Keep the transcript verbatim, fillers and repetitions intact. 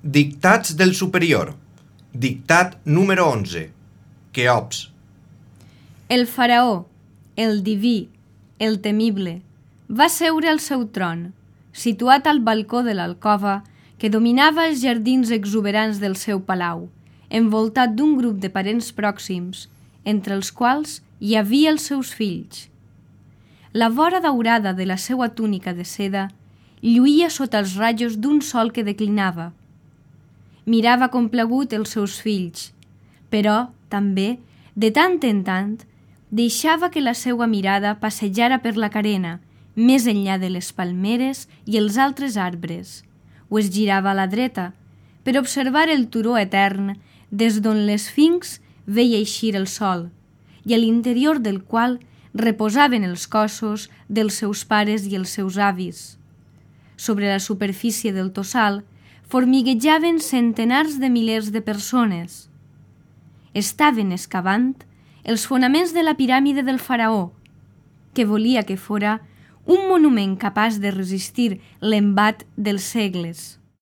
Dictats del superior. Dictat número onze. Queops. El faraó, el diví, el temible, va seure al seu tron, situat al balcó de l'alcova que dominava els jardins exuberants del seu palau, envoltat d'un grup de parents pròxims, entre els quals hi havia els seus fills. La vora daurada de la seua túnica de seda lluïa sota els rajos d'un sol que declinava. Mirava complagut els seus fills, però, també, de tant en tant, deixava que la seua mirada passejara per la carena, més enllà de les palmeres i els altres arbres, o es girava a la dreta, per observar el turó etern des d'on l'esfinx veia eixir el sol, i a l'interior del qual reposaven els cossos dels seus pares i els seus avis. Sobre la superfície del tossal formiguejaven centenars de milers de persones. Estaven excavant els fonaments de la piràmide del faraó, que volia que fora un monument capaç de resistir l'embat dels segles.